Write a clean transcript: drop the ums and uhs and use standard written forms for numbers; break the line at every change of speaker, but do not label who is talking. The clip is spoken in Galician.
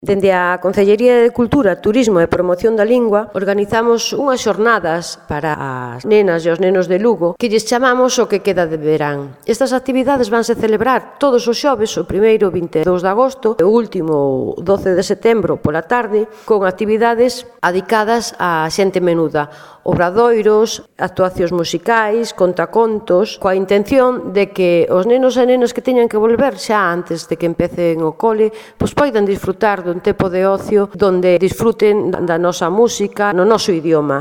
Dende a Concellería de Cultura, Turismo e Promoción da Lingua organizamos unhas xornadas para as nenas e os nenos de Lugo que lles chamamos o que queda de verán. Estas actividades vanse celebrar todos os xoves, o primeiro 22 de agosto e o último 12 de setembro pola tarde, con actividades adicadas á xente menuda, obradoiros, actuacións musicais, contacontos, coa intención de que os nenos e nenas que teñan que volver xa antes de que empecen o cole, pois poidan disfrutar dun tempo de ocio donde disfruten da nosa música no noso idioma.